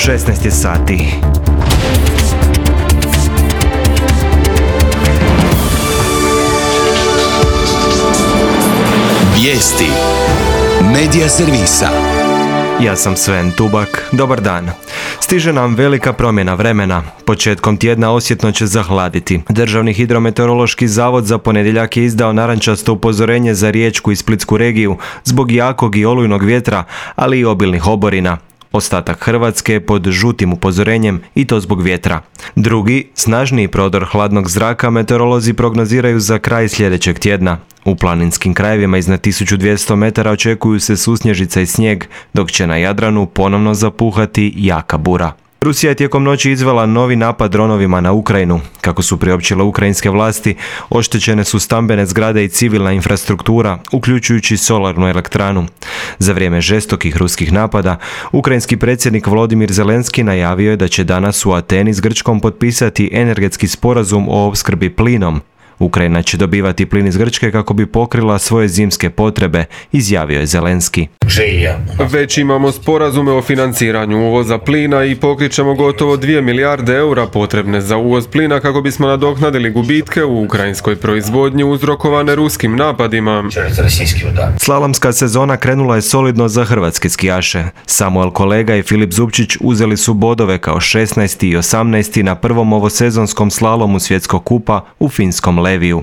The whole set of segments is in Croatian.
16 je sati. Vijesti Medija servisa. Ja sam Sven Tubak, dobar dan. Stiže nam velika promjena vremena. Početkom tjedna osjetno će zahladiti. Državni hidrometeorološki zavod za ponedjeljak je izdao narančasto upozorenje za Riječku i Splitsku regiju zbog jakog i olujnog vjetra, ali i obilnih oborina. Ostatak Hrvatske je pod žutim upozorenjem i to zbog vjetra. Drugi, snažniji prodor hladnog zraka meteorolozi prognoziraju za kraj sljedećeg tjedna. U planinskim krajevima iznad 1200 metara očekuju se susnježica i snijeg, dok će na Jadranu ponovno zapuhati jaka bura. Rusija je tijekom noći izvela novi napad dronovima na Ukrajinu. Kako su priopćile ukrajinske vlasti, oštećene su stambene zgrade i civilna infrastruktura, uključujući solarnu elektranu. Za vrijeme žestokih ruskih napada, ukrajinski predsjednik Volodimir Zelenski najavio je da će danas u Ateni s Grčkom potpisati energetski sporazum o opskrbi plinom. Ukrajina će dobivati plin iz Grčke kako bi pokrila svoje zimske potrebe, izjavio je Zelenski. Već imamo sporazume o financiranju uvoza plina i pokrićemo gotovo 2 milijarde eura potrebne za uvoz plina kako bismo nadoknadili gubitke u ukrajinskoj proizvodnji uzrokovane ruskim napadima. Slalomska sezona krenula je solidno za hrvatske skijaše. Samuel Kolega i Filip Zupčić uzeli su bodove kao 16. i 18. na prvom ovosezonskom slalomu svjetskog kupa u finskom Leviju.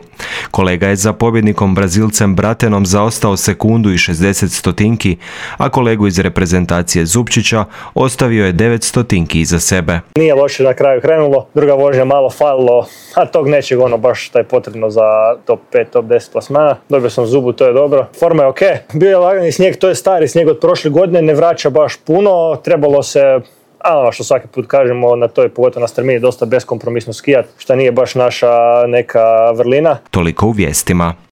Kolega je za pobjednikom Brazilcem Bratenom zaostao sekundu i 60 stotinki, a kolegu iz reprezentacije Zupčića ostavio je 9 stotinki iza sebe. Nije loše na kraju krenulo, druga vožnja malo falilo, a tog nečeg baš što je potrebno za top 5, top 10 plasmana. Dobio sam zubu, to je dobro. Forma je ok. Bio je lagani snijeg, to je stari snijeg od prošle godine, ne vraća baš puno, trebalo se što svaki put kažemo, na toj, pogotovo na strmini, dosta beskompromisno skijat, što nije baš naša neka vrlina. Toliko u vijestima.